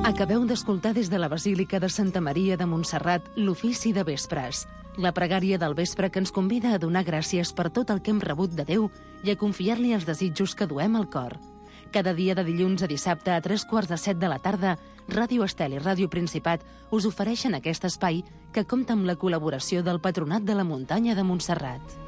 Acabeu d'escoltar des de la Basílica de Santa Maria de Montserrat l'ofici de vespres, la pregària del vespre que ens convida a donar gràcies per tot el que hem rebut de Déu i a confiar-li els desitjos que duem al cor. Cada dia de dilluns a dissabte a 7:45 de la tarda, Ràdio Estel i Ràdio Principat us ofereixen aquest espai que compta amb la col·laboració del Patronat de la Muntanya de Montserrat.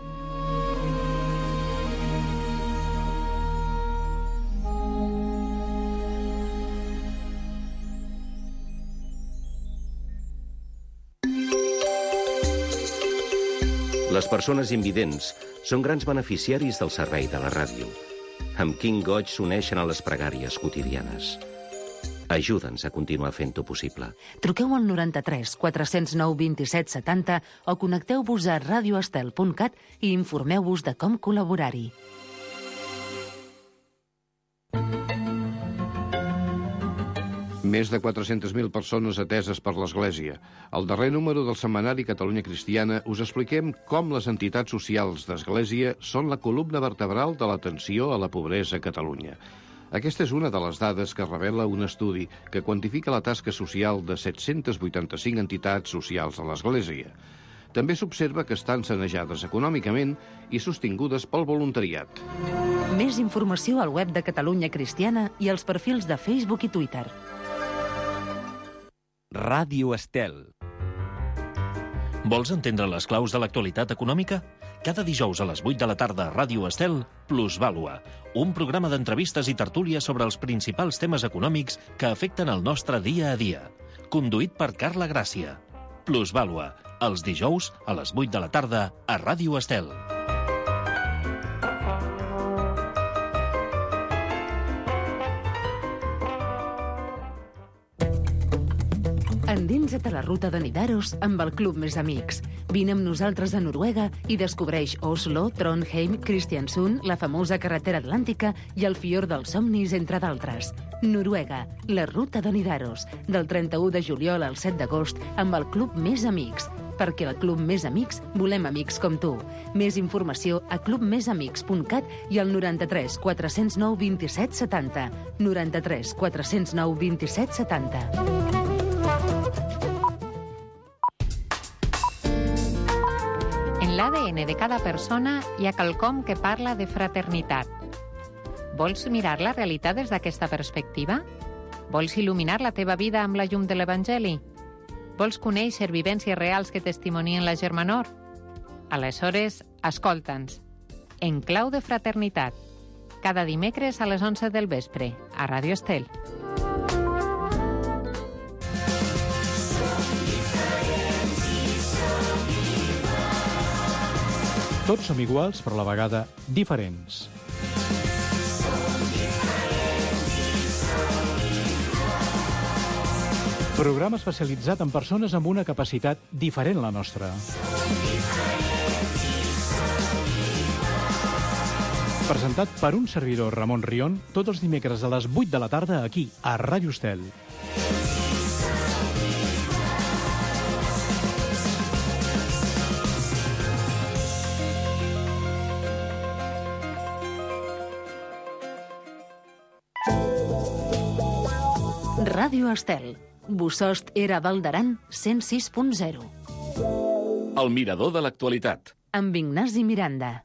Les persones invidents són grans beneficiaris del servei de la ràdio. Amb quin goig s'uneixen a les pregàries quotidianes. Ajuda'ns a continuar fent-ho possible. Truqueu al 93 409 27 70 o connecteu-vos a radioestel.cat i informeu-vos de com col·laborar-hi. Més de 400.000 persones ateses per l'Església. Al darrer número del setmanari Catalunya Cristiana us expliquem com les entitats socials d'Església són la columna vertebral de l'atenció a la pobresa a Catalunya. Aquesta és una de les dades que revela un estudi que quantifica la tasca social de 785 entitats socials de l'Església. També s'observa que estan sanejades econòmicament i sostingudes pel voluntariat. Més informació al web de Catalunya Cristiana i als perfils de Facebook i Twitter. Ràdio Estel. Vols entendre les claus de l'actualitat econòmica? Cada dijous a les 8 de la tarda a Ràdio Estel, Plusvàlua, un programa d'entrevistes i tertúlies sobre els principals temes econòmics que afecten el nostre dia a dia. Conduït per Carla Gràcia. Plusvàlua, els dijous a les 8 de la tarda a Ràdio Estel. Endinsa't a la ruta de Nidaros amb el Club Més Amics. Vine amb nosaltres a Noruega i descobreix Oslo, Trondheim, Kristiansund, la famosa carretera atlàntica i el fiord dels somnis, entre d'altres. Noruega, la ruta de Nidaros, del 31 de juliol al 7 d'agost amb el Club Més Amics. Perquè al Club Més Amics volem amics com tu. Més informació a clubmesamics.cat i al 93 409 27 70. 93 409 27 70. En l'ADN de cada persona hi ha quelcom que parla de fraternitat. Vols mirar la realitat des d'aquesta perspectiva? Vols il·luminar la teva vida amb la llum de l'Evangeli? Vols conèixer vivències reals que testimonien la germanor? Aleshores, escolta'ns. En clau de fraternitat. Cada dimecres a les 11 del vespre, a Ràdio Estel. Tots som iguals, però a la vegada diferents. Programa especialitzat en persones amb una capacitat diferent a la nostra. Presentat per un servidor, Ramon Rion, tots els dimecres a les 8 de la tarda aquí, a Ràdio Estel. Ràdio Estel. Bosost era Val d'Aran 106.0. El mirador de l'actualitat. Amb Ignasi Miranda.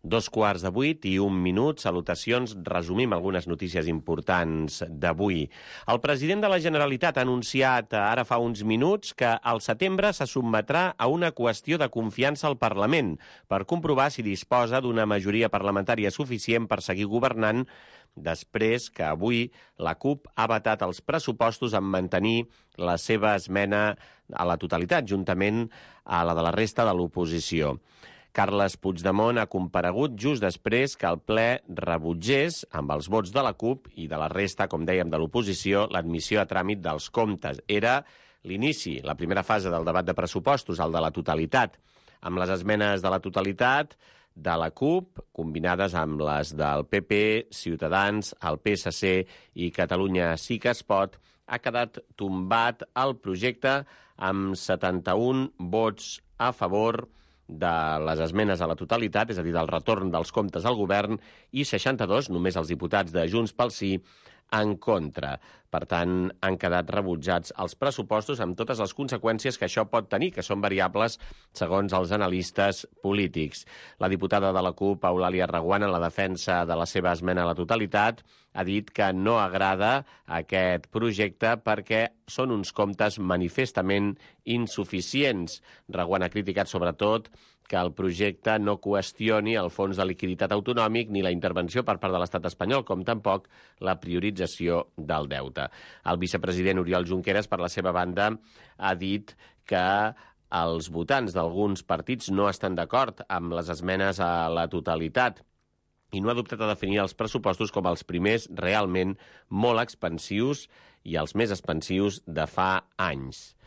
7:45 salutacions. Resumim algunes notícies importants d'avui. El president de la Generalitat ha anunciat ara fa uns minuts que al setembre se sotmetrà a una qüestió de confiança al Parlament per comprovar si disposa d'una majoria parlamentària suficient per seguir governant, després que avui la CUP ha vetat els pressupostos en mantenir la seva esmena a la totalitat, juntament a la de la resta de l'oposició. Carles Puigdemont ha comparegut just després que el ple rebutgés, amb els vots de la CUP i de la resta, com dèiem, de l'oposició, l'admissió a tràmit dels comptes. Era l'inici, la primera fase del debat de pressupostos, el de la totalitat, amb les esmenes de la totalitat de la CUP, combinades amb les del PP, Ciutadans, el PSC i Catalunya Sí que es pot, ha quedat tombat el projecte amb 71 vots a favor de les esmenes a la totalitat, és a dir, del retorn dels comptes al govern, i 62, només els diputats de Junts pel Sí, en contra. Per tant, han quedat rebutjats els pressupostos amb totes les conseqüències que això pot tenir, que són variables segons els analistes polítics. La diputada de la CUP, Eulàlia Reguant, en la defensa de la seva esmena a la totalitat, ha dit que no agrada aquest projecte perquè són uns comptes manifestament insuficients. Reguant ha criticat sobretot que el projecte no qüestioni el fons de liquiditat autonòmic ni la intervenció per part de l'estat espanyol, com tampoc la priorització del deute. El vicepresident Oriol Junqueras, per la seva banda, ha dit que els votants d'alguns partits no estan d'acord amb les esmenes a la totalitat i no ha dubtat a definir els pressupostos com els primers realment molt expansius i els més expansius de fa anys.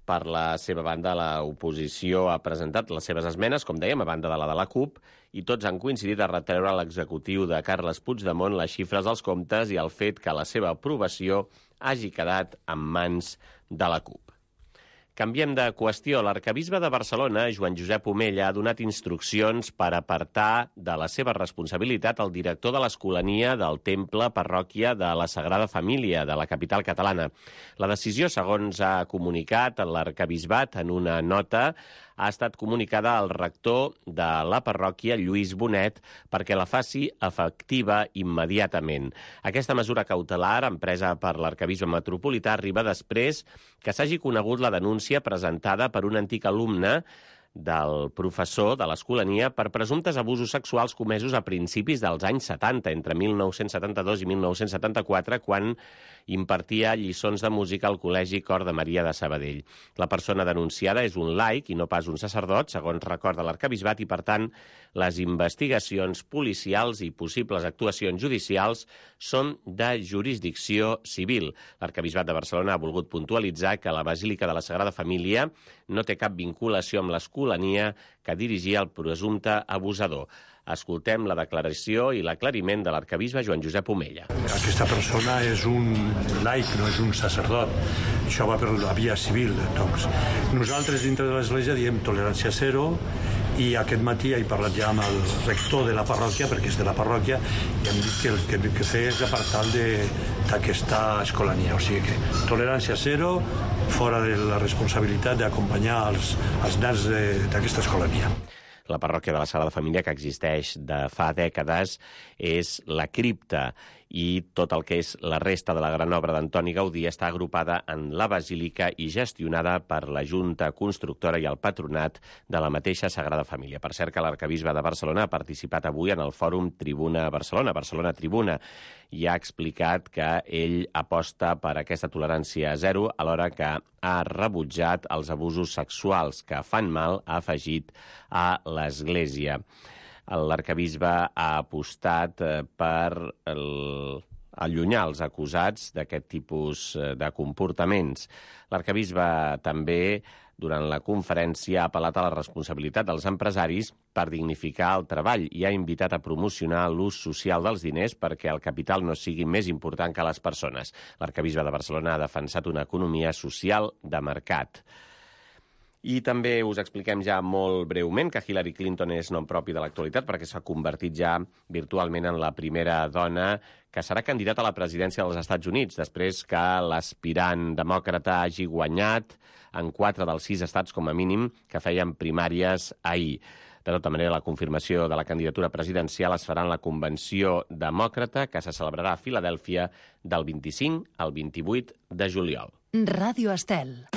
Per la seva banda, l'oposició ha presentat les seves esmenes, com dèiem, a banda de la de la CUP, i tots han coincidit a retreure a l'executiu de Carles Puigdemont les xifres dels comptes i el fet que la seva aprovació hagi quedat en mans de la CUP. Canviem de qüestió. L'arquebisbe de Barcelona, Joan Josep Omella, ha donat instruccions per apartar de la seva responsabilitat el director de l'Escolania del Temple Parròquia de la Sagrada Família de la capital catalana. La decisió, segons ha comunicat l'arquebisbat en una nota, ha estat comunicada al rector de la parròquia, Lluís Bonet, perquè la faci efectiva immediatament. Aquesta mesura cautelar, empresa per l'arquebisbe metropolità, arriba després que s'hagi conegut la denúncia presentada per un antic alumne del professor de l'Escolania per presumptes abusos sexuals comesos a principis dels anys 70, entre 1972 i 1974, quan impartia lliçons de música al Col·legi Cor de Maria de Sabadell. La persona denunciada és un laic i no pas un sacerdot, segons recorda l'arquebisbat, i, per tant, les investigacions policials i possibles actuacions judicials són de jurisdicció civil. L'arquebisbat de Barcelona ha volgut puntualitzar que la Basílica de la Sagrada Família no té cap vinculació amb l'Escolania que dirigia el presumpte abusador. Escoltem la declaració i l'aclariment de l'arquebisbe Joan Josep Omella. Aquesta persona és un laic, no és un sacerdot. Això va per la via civil. Doncs, nosaltres dintre de l'Església diem tolerància zero, i aquest matí he parlat ja amb el rector de la parròquia, perquè és de la parròquia, i hem dit que el que hem de fer és apartar-lo d'aquesta escolania. O sigui que tolerància zero, fora de la responsabilitat d'acompanyar els nens d'aquesta escolania. La parròquia de la Sagrada Família, que existeix de fa dècades, és la cripta, i tot el que és la resta de la gran obra d'Antoni Gaudí està agrupada en la basílica i gestionada per la Junta Constructora i el Patronat de la mateixa Sagrada Família. Per cert, que l'arquebisbe de Barcelona ha participat avui en el fòrum Tribuna Barcelona, Barcelona Tribuna, i ha explicat que ell aposta per aquesta tolerància zero, alhora que ha rebutjat els abusos sexuals que fan mal, ha afegit, a l'Església. L'arquebisbe ha apostat per allunyar els acusats d'aquest tipus de comportaments. L'arquebisbe també, durant la conferència, ha apel·lat a la responsabilitat dels empresaris per dignificar el treball i ha invitat a promocionar l'ús social dels diners perquè el capital no sigui més important que les persones. L'arquebisbe de Barcelona ha defensat una economia social de mercat. I també us expliquem ja molt breument que Hillary Clinton és nom propi de l'actualitat perquè s'ha convertit ja virtualment en la primera dona que serà candidata a la presidència dels Estats Units, després que l'aspirant demòcrata hagi guanyat en 4 dels 6 estats com a mínim que feien primàries ahir. De tota manera, la confirmació de la candidatura presidencial es farà en la Convenció Demòcrata que se celebrarà a Filadèlfia del 25 al 28 de juliol. Ràdio Estel.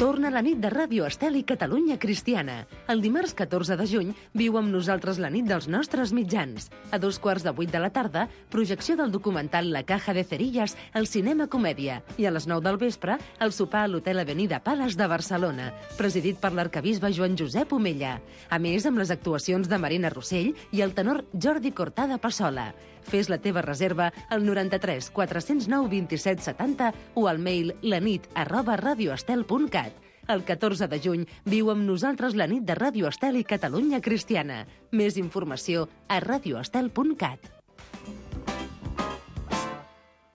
Torna la nit de Ràdio Estel i Catalunya Cristiana. El dimarts 14 de juny viu amb nosaltres la nit dels nostres mitjans. A 7:15 de la tarda, projecció del documental La Caja de Cerillas al Cinema Comèdia. I a les 9 del vespre, el sopar a l'Hotel Avenida Palace de Barcelona, presidit per l'arquebisbe Joan Josep Omella. A més, amb les actuacions de Marina Rossell i el tenor Jordi Cortada Passola. Fes la teva reserva al 93 409 27 70 o al mail lanit@radioestel.cat. El 14 de juny viu amb nosaltres la nit de Ràdio Estel i Catalunya Cristiana. Més informació a radioestel.cat.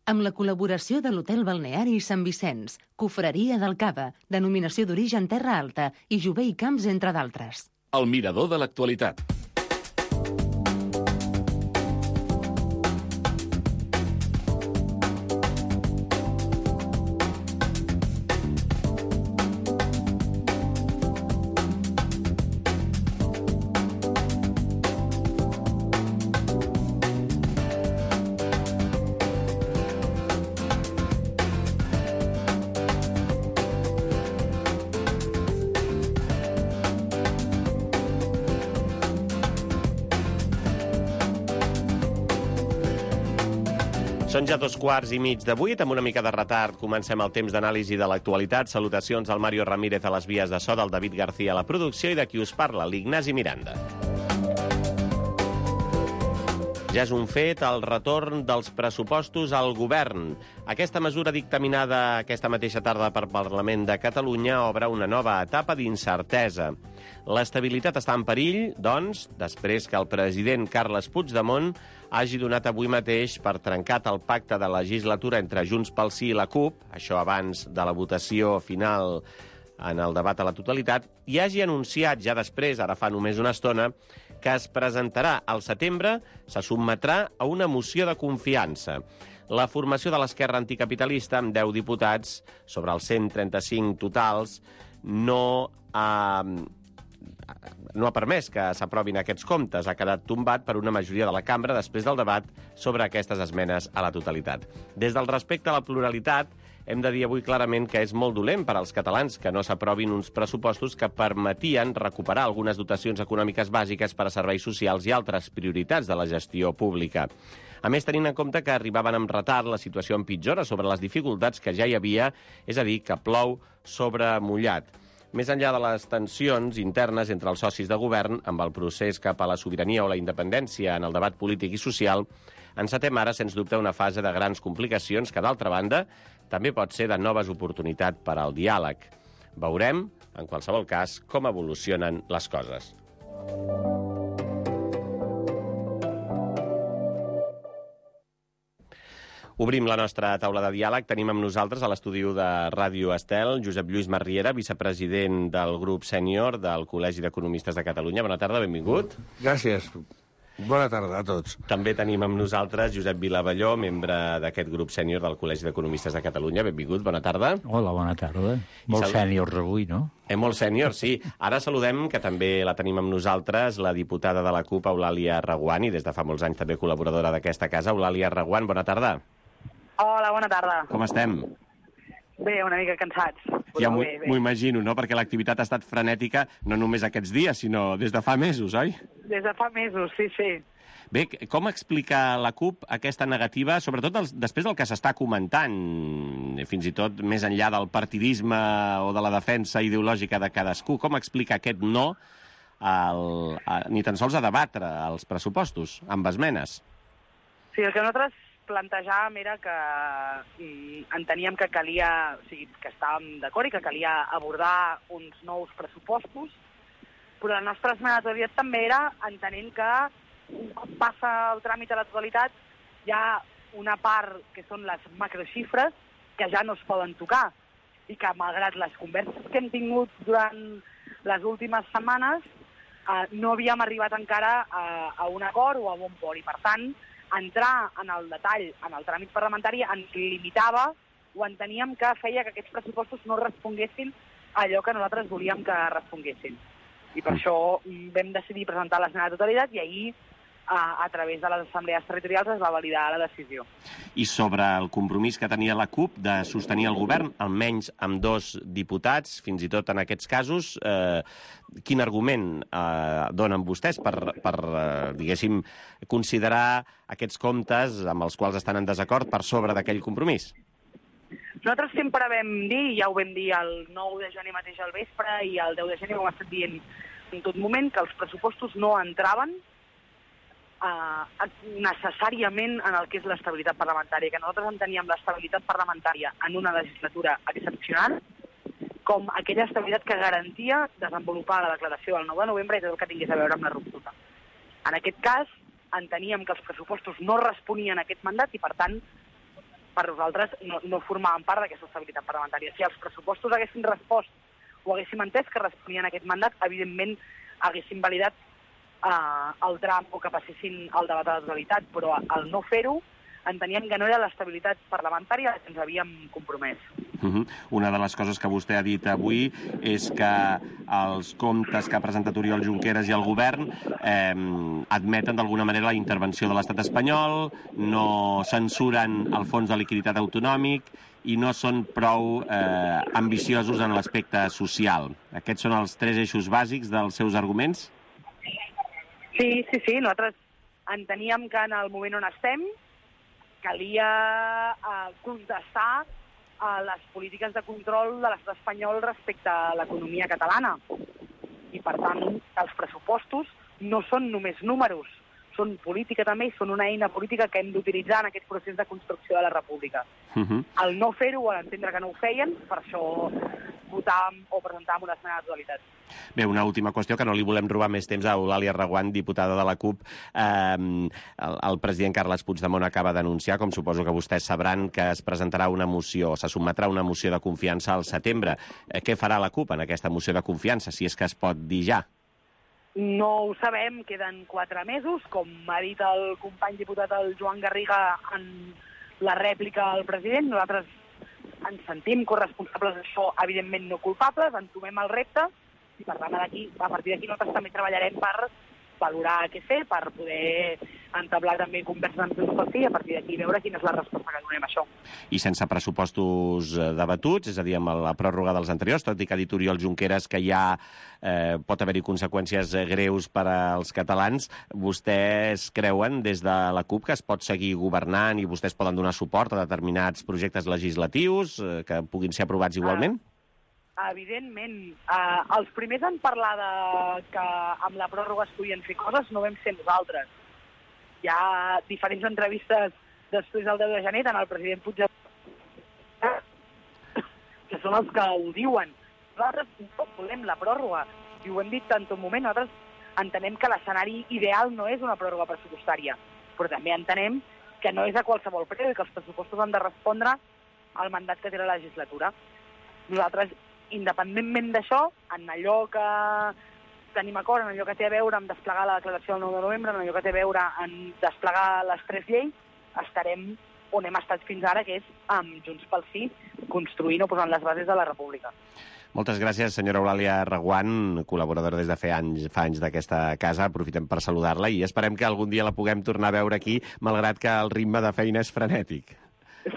Amb la col·laboració de l'Hotel Balneari Sant Vicenç, Cofreria del Cava, denominació d'origen Terra Alta i Jové i Camps, entre d'altres. El mirador de l'actualitat. Són ja 2:15, amb una mica de retard comencem el temps d'anàlisi de l'actualitat. Salutacions al Mario Ramírez a les vies de so, del David García a la producció i de qui us parla, l'Ignasi Miranda. Ja és un fet el retorn dels pressupostos al govern. Aquesta mesura dictaminada aquesta mateixa tarda per Parlament de Catalunya obre una nova etapa d'incertesa. L'estabilitat està en perill, doncs, després que el president Carles Puigdemont hagi donat avui mateix per trencat el pacte de legislatura entre Junts pel Sí i la CUP, això abans de la votació final en el debat a la totalitat, i hagi anunciat ja després, ara fa només una estona, que es presentarà al setembre, se sotmetrà a una moció de confiança. La formació de l'esquerra anticapitalista, amb 10 diputats, sobre els 135 totals, no ha permès que s'aprovin aquests comptes. Ha quedat tombat per una majoria de la cambra després del debat sobre aquestes esmenes a la totalitat. Des del respecte a la pluralitat, hem de dir avui clarament que és molt dolent per als catalans que no s'aprovin uns pressupostos que permetien recuperar algunes dotacions econòmiques bàsiques per a serveis socials i altres prioritats de la gestió pública. A més, tenint en compte que arribaven amb retard, la situació empitjora sobre les dificultats que ja hi havia, és a dir, que plou sobre mullat. Més enllà de les tensions internes entre els socis de govern, amb el procés cap a la sobirania o la independència en el debat polític i social, encetem ara, sens dubte, una fase de grans complicacions que, d'altra banda, també pot ser de noves oportunitats per al diàleg. Veurem, en qualsevol cas, com evolucionen les coses. Obrim la nostra taula de diàleg. Tenim amb nosaltres a l'estudi de Ràdio Estel Josep Lluís Marriera, vicepresident del grup sènior del Col·legi d'Economistes de Catalunya. Bona tarda, benvingut. Gràcies. Bona tarda a tots. També tenim amb nosaltres Josep Vilavalló, membre d'aquest grup sènior del Col·legi d'Economistes de Catalunya. Benvingut, bona tarda. Hola, bona tarda. Molt sèniors avui, no? Molt sènior, sí. Ara saludem, que també la tenim amb nosaltres, la diputada de la CUP, Eulàlia Reguant, i des de fa molts anys també col·laboradora d'aquesta casa. Eulàlia Reguant, bona tarda. Hola, bona tarda. Com estem? Bé, una mica cansats. Ja m'ho imagino, no? Perquè l'activitat ha estat frenètica no només aquests dies, sinó des de fa mesos, oi? Des de fa mesos, sí, sí. Bé, com explica la CUP aquesta negativa, sobretot després del que s'està comentant, fins i tot més enllà del partidisme o de la defensa ideològica de cadascú, com explica aquest no ni tan sols a debatre els pressupostos, amb esmenes? Sí, el que nosaltres plantejàvem era que enteníem que calia, o sigui, que estàvem d'acord i que calia abordar uns nous pressupostos, però la nostra esmena de totalitat també era entenent que un cop passa el tràmit a la totalitat hi ha una part que són les macroxifres que ja no es poden tocar i que malgrat les converses que hem tingut durant les últimes setmanes no havíem arribat encara a un acord o a bon port i per tant entrar en el detall en el tràmit parlamentari ens limitava o enteníem que feia que aquests pressupostos no responguessin a allò que nosaltres volíem que responguessin. I per això vam decidir presentar l'esmena de totalitat i ahir, a través de les assemblees territorials, es va validar la decisió. I sobre el compromís que tenia la CUP de sostenir el govern, almenys amb 2 diputats, fins i tot en aquests casos, quin argument donen vostès per diguéssim, considerar aquests comptes amb els quals estan en desacord per sobre d'aquell compromís? Nosaltres sempre vam dir, ja ho vam dir el 9 de gener mateix al vespre i el 10 de gener ho hem estat dient en tot moment, que els pressupostos no entraven necessàriament en el que és l'estabilitat parlamentària, que nosaltres enteníem l'estabilitat parlamentària en una legislatura excepcional com aquella estabilitat que garantia desenvolupar la declaració del 9 de novembre i tot el que tingués a veure amb la ruptura. En aquest cas, enteníem que els pressupostos no responien a aquest mandat i, per tant, per nosaltres no formaven part d'aquesta estabilitat parlamentària. Si els pressupostos haguessin respost o haguéssim entès que responien a aquest mandat, evidentment haguéssim validat el tram o que passessin el debat a la totalitat, però al no fer-ho enteníem que no era l'estabilitat parlamentària que ens havíem compromès. Una de les coses que vostè ha dit avui és que els comptes que ha presentat Oriol Junqueras i el govern admeten d'alguna manera la intervenció de l'estat espanyol, no censuren el fons de liquiditat autonòmic i no són prou ambiciosos en l'aspecte social. Aquests són els 3 eixos bàsics dels seus arguments? Sí, nosaltres enteníem que en el moment on estem calia contestar les polítiques de control de l'estat espanyol respecte a l'economia catalana. I, per tant, els pressupostos no són només números, són política també i són una eina política que hem d'utilitzar en aquest procés de construcció de la república. Al no fer-ho o a l'entendre que no ho feien, per això votàvem o presentàvem una esmena de totalitat. Bé, una última qüestió, que no li volem robar més temps a Eulàlia Reguant, diputada de la CUP. El president Carles Puigdemont acaba d'anunciar, com suposo que vostès sabran, que es presentarà una moció, se sotmetrà una moció de confiança al setembre. Què farà la CUP en aquesta moció de confiança, si és que es pot dir ja? No ho sabem, queden 4 mesos, com ha dit el company diputat el Joan Garriga en la rèplica al president. Nosaltres ens sentim corresponsables d'això, evidentment no culpables, entomem el repte i per tant a partir d'aquí nosaltres també treballarem per valorar què fer, per poder entablar també converses amb Junts pel Sí i a partir d'aquí veure quina és la resposta que donem a això. I sense pressupostos debatuts, és a dir, amb la pròrroga dels anteriors, tot i que ha dit Oriol Junqueras que ja pot haver-hi conseqüències greus per als catalans, vostès creuen des de la CUP que es pot seguir governant i vostès poden donar suport a determinats projectes legislatius que puguin ser aprovats igualment? Evidentment. Els primers en parlar que amb la pròrroga es podien fer coses no vam ser nosaltres. Hi ha diferents entrevistes després del 10 de gener, tant el president Puigdemont, que són els que ho diuen. Nosaltres no volem la pròrroga, i ho hem dit en tot moment. Nosaltres entenem que l'escenari ideal no és una pròrroga pressupostària, però també entenem que no és a qualsevol preu i que els pressupostos han de respondre al mandat que té la legislatura. Nosaltres, independentment d'això, en allò que tenim acord, en allò que té a veure amb desplegar la declaració del 9 de novembre, en allò que té a veure amb desplegar les 3 lleis, estarem on hem estat fins ara, que és amb Junts pel Sí, construint o posant les bases de la república. Moltes gràcies, senyora Eulàlia Reguant, col·laboradora des de fa anys d'aquesta casa. Aprofitem per saludar-la i esperem que algun dia la puguem tornar a veure aquí, malgrat que el ritme de feina és frenètic.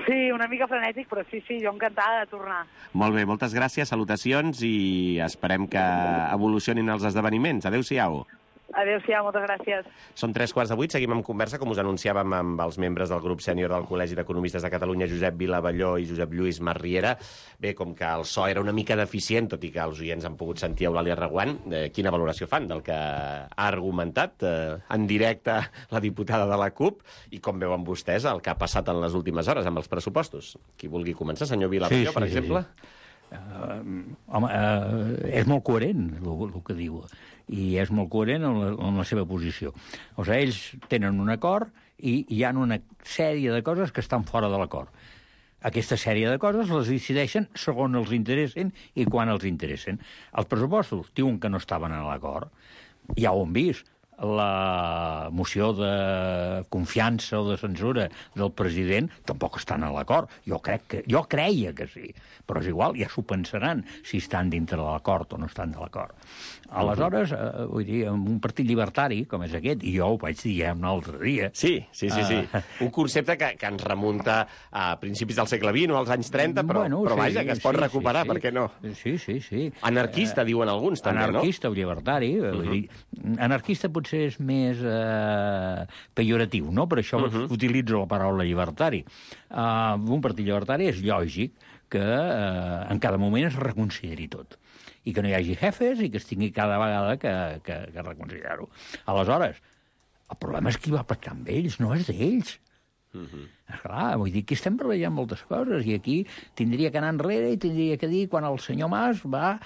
Sí, una mica frenètic, però sí, jo encantada de tornar. Molt bé, moltes gràcies, salutacions i esperem que evolucionin els esdeveniments. Adéu-siau. Adéu-siau, moltes gràcies. Són 7:45, seguim en conversa, com us anunciàvem amb els membres del grup sènior del Col·legi d'Economistes de Catalunya, Josep Vilavalló i Josep Lluís Masriera. Bé, com que el so era una mica deficient, tot i que els oients han pogut sentir Eulàlia Reguant, quina valoració fan del que ha argumentat en directe la diputada de la CUP i com veuen vostès el que ha passat en les últimes hores amb els pressupostos? Qui vulgui començar, senyor Vilavalló, per exemple? És molt coherent el que diu i és molt coherent en la seva posició. O sigui, ells tenen un acord i hi ha una sèrie de coses que estan fora de l'acord. Aquesta sèrie de coses les decideixen segons els interessen i quan els interessen. Els pressupostos diuen que no estaven en l'acord. Ja ho hem vist. La moció de confiança o de censura del president tampoc estan a l'acord. Jo creia que sí, però és igual, ja s'ho pensaran si estan dintre de l'acord o no estan de l'acord. Aleshores, vull dir, en un partit llibertari com és aquest, i jo ho vaig dir ja un altre dia... Sí. Un concepte que ens remunta a principis del segle XX o als anys 30, però vaja, que es pot recuperar, per què no? Sí. Anarquista, diuen alguns, també, no? Anarquista o llibertari. Anarquista potser és més pejoratiu, no? Per això utilitzo la paraula llibertari. Un partit llibertari és lògic que en cada moment es reconsideri tot i que no hi hagi jefes i que es tingui cada vegada que reconsiderar-ho. Aleshores, el problema és qui va pactar amb ells, no és d'ells. Esclar, vull dir, aquí estem barrejant moltes coses i aquí tindria que anar enrere i tindria que dir quan el senyor Mas va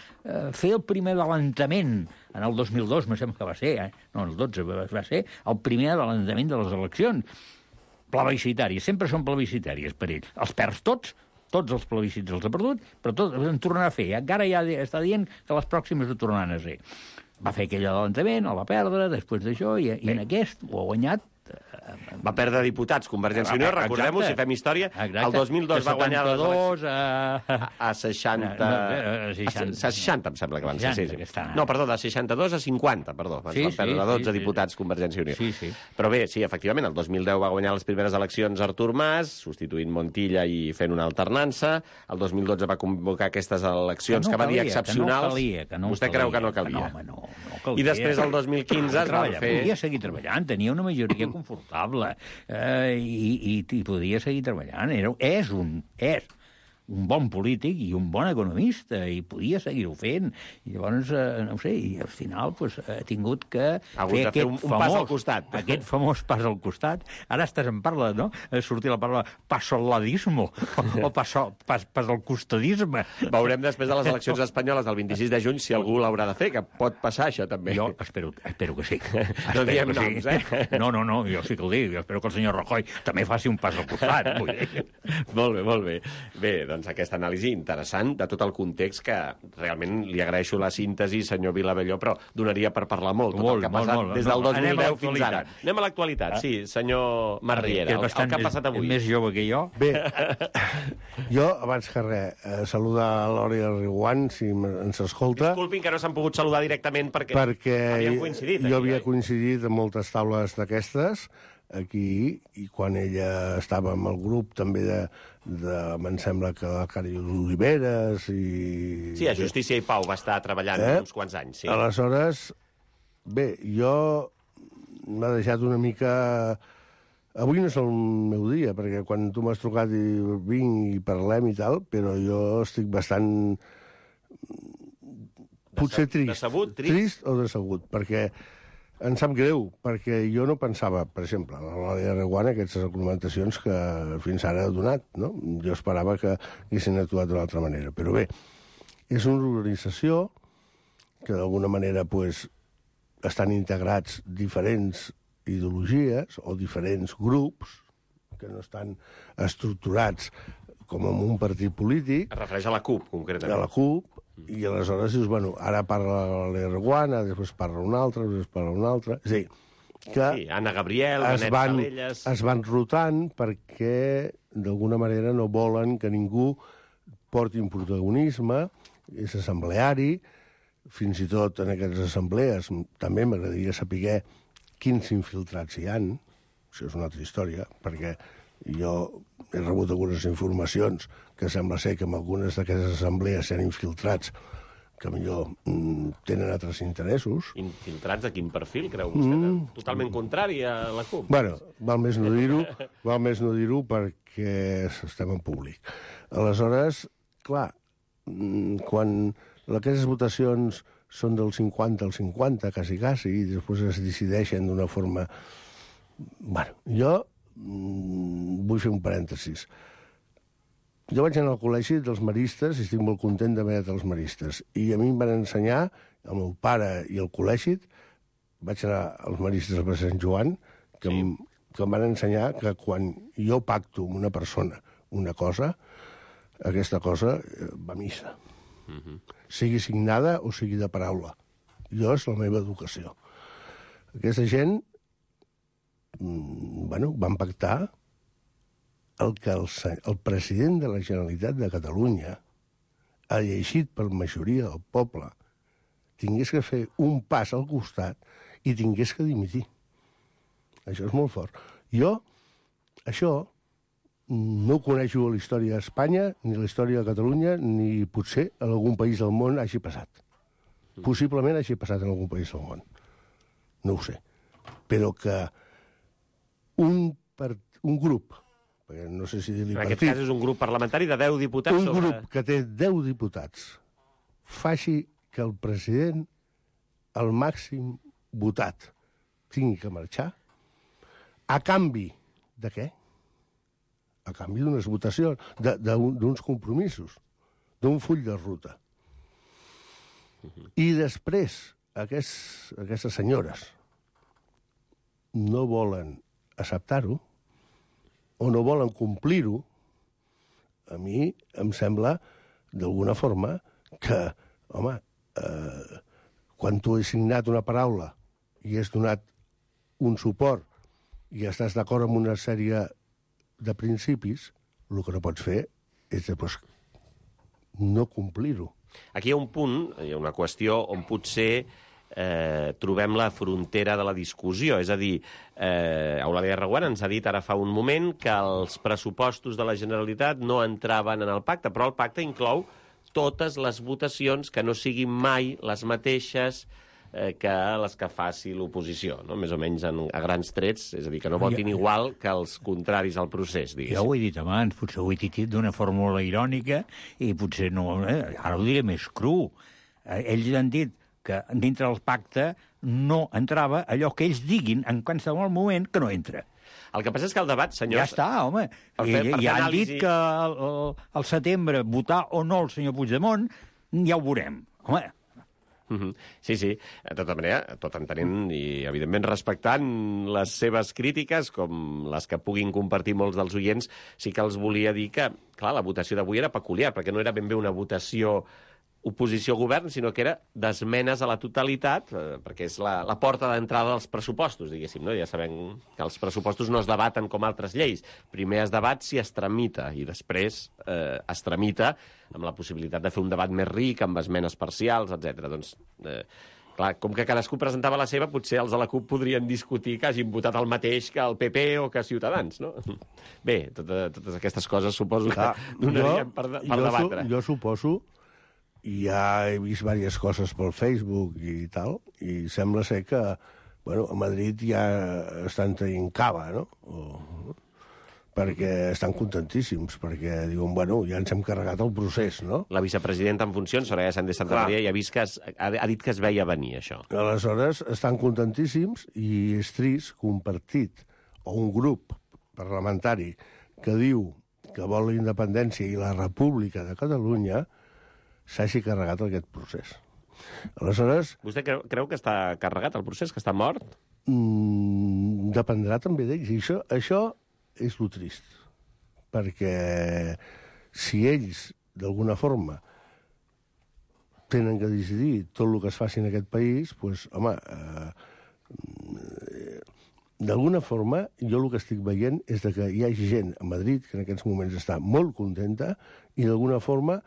fer el primer adelantament en el 2002, me sembla que va ser, no, el 12, va ser el primer adelantament de les eleccions. Plebiscitàries, sempre són plebiscitàries per ells. Els perds tots els plebiscits els ha perdut, però tots en tornarà a fer. Encara ja està dient que les pròximes ho tornaran a ser. Va fer aquell adelantament, el va perdre, després d'això, i en aquest ho ha guanyat. Va perdre diputats, Convergència i Unió, recordem-ho, si fem història, el 2002 va guanyar les eleccions a 60... A 60, em sembla que van ser. No, perdó, de 62 a 50, perdó. Van perdre 12 diputats Convergència i Unió. Però bé, sí, efectivament, el 2010 va guanyar les primeres eleccions Artur Mas, substituint Montilla i fent una alternança. El 2012 va convocar aquestes eleccions que va dir excepcionals. Vostè creu que no calia? No calia. I després, el 2015, es van fer... Podia seguir treballant, tenia una majoria confortable i podia seguir treballant. És un bon polític i un bon economista, i podia seguir-ho fent. I llavors, no ho sé, i al final ha tingut que fer aquest pas al costat. Aquest famós pas al costat. Ara estàs en parla, no? Sortir la paraula pasoladismo o pas al costadisme. Veurem després de les eleccions espanyoles del 26 de juny si algú l'haurà de fer, que pot passar això també. Jo espero que sí. No diem noms, eh? No, jo sí que ho dic. Jo espero que el senyor Rajoy també faci un pas al costat. Molt bé. Bé, doncs aquesta anàlisi interessant de tot el context, que realment li agraeixo la síntesi, senyor Vilabelló, però donaria per parlar molt tot el que ha passat des del 2010 fins ara. Anem a l'actualitat, sí, senyor Marriera, el que ha passat avui. Més jove que jo. Bé, jo, abans que res, saludar a l'Òria Riguant, si ens escolta. Disculpin que no s'han pogut saludar directament perquè havien coincidit. Jo havia coincidit en moltes taules d'aquestes, aquí, i quan ella estava amb el grup també em sembla que la Cari Oliveres i... Sí, a Justícia i Pau va estar treballant uns quants anys, sí. Aleshores, bé, m'ha deixat una mica... Avui no és el meu dia, perquè quan tu m'has trucat i vinc i parlem i tal, però jo estic bastant... potser trist. Decebut? Trist o decebut, perquè... Em sap greu, perquè jo no pensava, per exemple, a l'Òria Reguant, aquestes argumentacions que fins ara ha donat, no? Jo esperava que haguessin actuat d'una altra manera. Però bé, és una organització que d'alguna manera estan integrats diferents ideologies o diferents grups que no estan estructurats com en un partit polític. Es refereix a la CUP, concretament. A la CUP, i aleshores dius, bueno, ara parla l'Erguana, després parla un altre, després parla un altre... És a dir, que sí, Anna Gabriel, Benet Salelles... Es van rotant perquè, d'alguna manera, no volen que ningú porti un protagonisme, és assembleari, fins i tot en aquestes assemblees també m'agradaria saber quins infiltrats hi han, això és una altra història, perquè jo he rebut algunes informacions que sembla ser que en algunes d'aquestes assemblees s'han infiltrats que millor tenen altres interessos. Infiltrats de quin perfil, creu vostè? Totalment contrari a la CUP? Bueno, val més no dir-ho perquè estem en públic. Aleshores, clar, quan aquestes votacions són del 50 al 50, quasi, i després es decideixen d'una forma... Bueno, jo vull fer un parèntesis. Jo vaig anar al col·legi dels maristes i estic molt content d'haver anat als maristes. I a mi em van ensenyar, el meu pare i el col·legi, vaig anar als maristes de Sant Joan, que em van ensenyar que quan jo pacto amb una persona una cosa, aquesta cosa va a missa. Sigui signada o sigui de paraula. Jo és la meva educació. Aquesta gent van pactar el que el president de la Generalitat de Catalunya, llegit per majoria del poble, tingués que fer un pas al costat i tingués que dimitir. Això és molt fort. Jo, això, no coneixo la història d'Espanya, ni la història de Catalunya, ni potser en algun país del món hagi passat. Possiblement hagi passat en algun país del món. No ho sé. Però que un grup, perquè no sé si dir-li partit... En aquest cas és un grup parlamentari de 10 diputats. Un grup que té 10 diputats faci que el president, el màxim votat, tingui que marxar, a canvi de què? A canvi d'unes votacions, d'uns compromisos, d'un full de ruta. I després, aquestes senyores no volen acceptar-ho o no volen complir-ho, a mi em sembla, d'alguna forma, que, home, quan tu has signat una paraula i has donat un suport i estàs d'acord amb una sèrie de principis, el que no pots fer és després no complir-ho. Aquí hi ha un punt, hi ha una qüestió on potser trobem la frontera de la discussió. És a dir, Eulàlia Reguant ens ha dit ara fa un moment que els pressupostos de la Generalitat no entraven en el pacte, però el pacte inclou totes les votacions que no siguin mai les mateixes que les que faci l'oposició, no? Més o menys a grans trets, és a dir, que no votin igual que els contraris al procés, diguéssim. Jo ho he dit abans, potser ho he dit d'una fórmula irònica i potser no... Ara ho diré més cru. Ells han dit que dintre del pacte no entrava allò que ells diguin en qualsevol moment que no entra. El que passa és que el debat, senyors... Ja està, home. I han dit que al setembre votar o no el senyor Puigdemont, ja ho veurem. Home... Sí, de tota manera, tot entenent i, evidentment, respectant les seves crítiques, com les que puguin compartir molts dels oients, sí que els volia dir que, clar, la votació d'avui era peculiar, perquè no era ben bé una votació oposició-govern, sinó que era d'esmenes a la totalitat, perquè és la porta d'entrada dels pressupostos, diguéssim, no? Ja sabem que els pressupostos no es debaten com altres lleis. Primer es debat si es tramita, i després es tramita amb la possibilitat de fer un debat més ric, amb esmenes parcials, etc. Doncs, clar, com que cadascú presentava la seva, potser els de la CUP podrien discutir que hagin votat el mateix que el PP o que Ciutadans, no? Bé, totes aquestes coses suposo que donarien per debatre. Jo suposo, i ja he vist diverses coses pel Facebook i tal, i sembla ser que, bueno, a Madrid ja estan traient cava, no? Perquè estan contentíssims, perquè diuen, bueno, ja ens hem carregat el procés, no? La vicepresidenta en funcions, Soraya Sáenz de Santamaría, ja ha vist que ha dit que es veia venir, això. Aleshores, estan contentíssims i és trist que un partit o un grup parlamentari que diu que vol la independència i la república de Catalunya s'hagi carregat aquest procés. Aleshores... Vostè creu que està carregat el procés, que està mort? Dependrà també d'ells. I això és lo trist. Perquè si ells, d'alguna forma, tenen que decidir tot el que es faci en aquest país, doncs, home, d'alguna forma, jo el que estic veient és que hi ha gent a Madrid que en aquests moments està molt contenta i d'alguna forma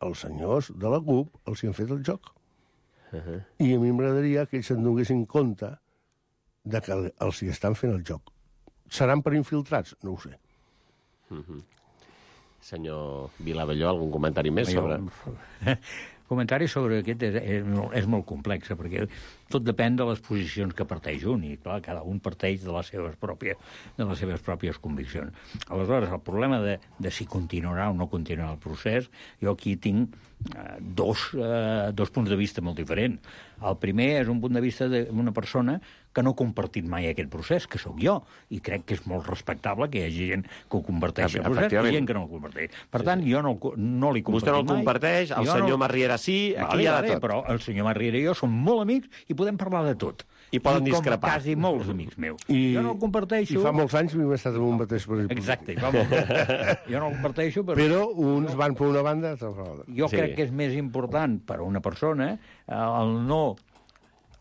els senyors de la CUP els hi han fet el joc. I a mi m'agradaria que ells se'n donessin compte de que els hi estan fent el joc. Seran per infiltrats? No ho sé. Senyor Vilavelló, algun comentari més sobre... Comentari sobre aquest és molt complex, perquè tot depèn de les posicions que parteix un, i clar, cada un parteix de les seves pròpies conviccions. Aleshores, el problema de si continuarà o no continuarà el procés, jo aquí tinc dos punts de vista molt diferents. El primer és un punt de vista d'una persona que no ha compartit mai aquest procés, que sóc jo, i crec que és molt respectable que hi hagi gent que ho comparteixi el procés i gent que no el comparteix. Per tant, jo no l'he compartit mai. Vostè no el comparteix, el senyor Marriera sí, aquí hi ha de tot. Però el senyor Marriera i jo som molt amics i podem parlar de tot. I poden discrepar. Com quasi molts amics meus. Jo no el comparteixo... I fa molts anys m'he estat en un mateix partit. Exacte, fa molts anys. Jo no el comparteixo, però uns van per una banda, altres per l'altra. Jo crec que és més important per a una persona el no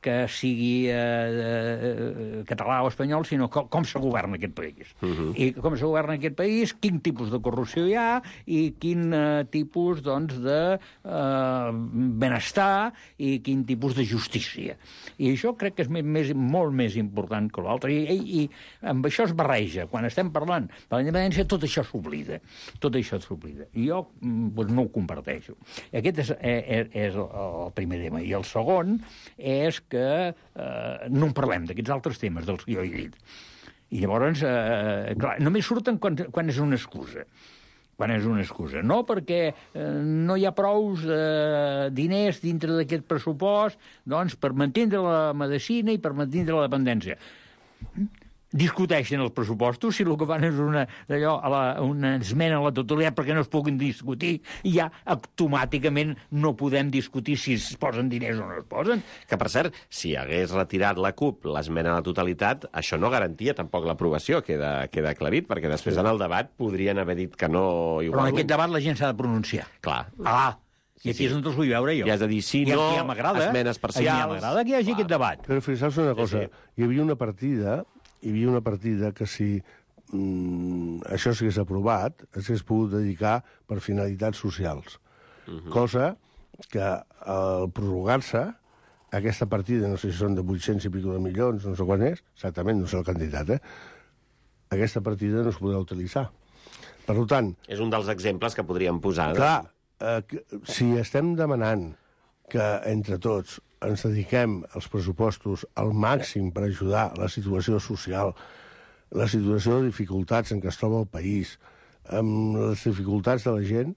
que sigui català o espanyol, sinó com se governa aquest país. I com se governa aquest país, quin tipus de corrupció hi ha i quin tipus, doncs, de benestar i quin tipus de justícia. I això crec que és molt més important que l'altre. I amb això es barreja. Quan estem parlant de la independència, tot això s'oblida. Tot això s'oblida. I jo no ho comparteixo. Aquest és el primer tema. I el segon és que no en parlem d'aquests altres temes dels que jo he dit. I llavors, clar, només surten quan és una excusa. Quan és una excusa. No perquè no hi ha prous diners dintre d'aquest pressupost, doncs, per mantindre la medicina i per mantindre la dependència. Discuteixen els pressupostos, si el que fan és una esmena a la totalitat perquè no es puguin discutir, i ja automàticament no podem discutir si es posen diners o no es posen. Que, per cert, si hagués retirat la CUP l'esmena a la totalitat, això no garantia tampoc l'aprovació, queda aclarit, perquè després en el debat podrien haver dit que no... Però en aquest debat la gent s'ha de pronunciar. Clar. I aquí és on els vull veure jo. I has de dir sí, no, esmenes parcials... I m'agrada que hi hagi aquest debat. Però fixeu-vos una cosa, hi havia una partida que si això s'hagués aprovat, s'hagués pogut dedicar per finalitats socials. Cosa que al prorrogar-se, aquesta partida, no sé si són de 800 i pico de milions, no sé quan és, exactament, no sé el candidat, aquesta partida no es podrà utilitzar. Per tant... És un dels exemples que podríem posar. Clar, si estem demanant que entre tots ens dediquem els pressupostos al màxim per ajudar la situació social, la situació de dificultats en què es troba el país, amb les dificultats de la gent,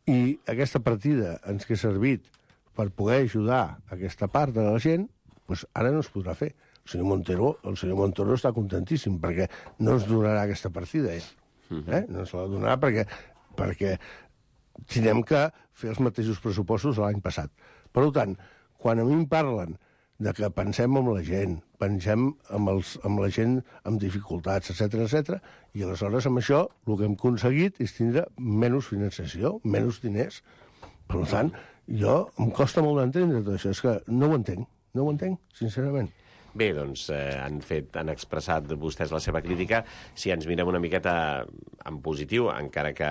i aquesta partida ens que ha servit per poder ajudar aquesta part de la gent, doncs ara no es podrà fer. El senyor Montoro està contentíssim perquè no ens donarà aquesta partida. No ens la donarà perquè tindrem que fer els mateixos pressupostos de l'any passat. Per tant, quan a mi em parlen de que pensem en la gent, pensem en la gent amb dificultats, etc, i aleshores amb això el que hem aconseguit és tindre menys finançació, menys diners. Per tant, em costa molt d'entendre tot això. És que no ho entenc, sincerament. Bé, doncs han expressat vostès la seva crítica. Si ens mirem una miqueta en positiu, encara que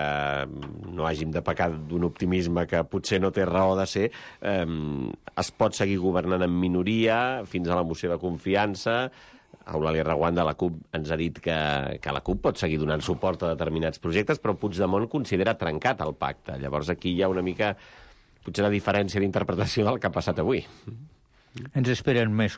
no hàgim de pecar d'un optimisme que potser no té raó de ser, es pot seguir governant en minoria fins a la moció de confiança. Eulàlia Reguant de la CUP ens ha dit que la CUP pot seguir donant suport a determinats projectes, però Puigdemont considera trencat el pacte. Llavors aquí hi ha una mica, potser, una diferència d'interpretació del que ha passat avui. Ens esperen més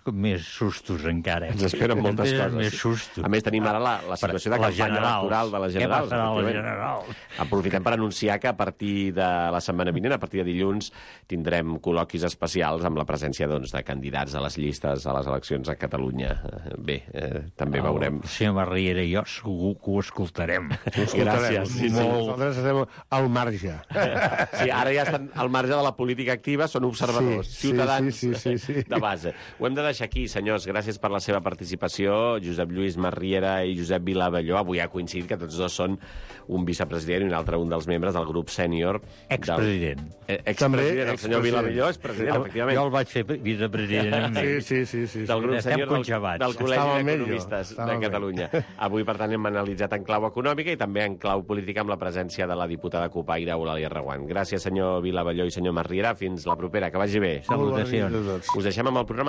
sustos encara. Ens esperen moltes coses. Més sustos. A més, tenim ara la situació de campanya electoral de les generals. Què passarà a les generals? Aprofitem per anunciar que a partir de la setmana vinent, a partir de dilluns, tindrem col·loquis especials amb la presència de candidats a les llistes a les eleccions a Catalunya. Bé, també veurem. El senyor Marriera i jo segur que ho escoltarem. Gràcies. Nosaltres estem al marge. Sí, ara ja estan al marge de la política activa, són observadors, ciutadans. Sí. De base. Ho hem de deixar aquí, senyors. Gràcies per la seva participació. Josep Lluís Marriera i Josep Vilavelló. Avui ha coincidit que tots dos són un vicepresident i un altre un dels membres del grup sènior. Expresident. Expresident. El senyor Vilavelló és president, efectivament. Jo el vaig fer vicepresident. Sí. Del grup sènior del Col·legi d'Economistes de Catalunya. Avui, per tant, hem analitzat en clau econòmica i també en clau política amb la presència de la diputada cupaire Eulàlia Reguant. Gràcies, senyor Vilavelló i senyor Marriera. Fins la propera. Que vagi bé. Salutacions. Us deixem amb el programa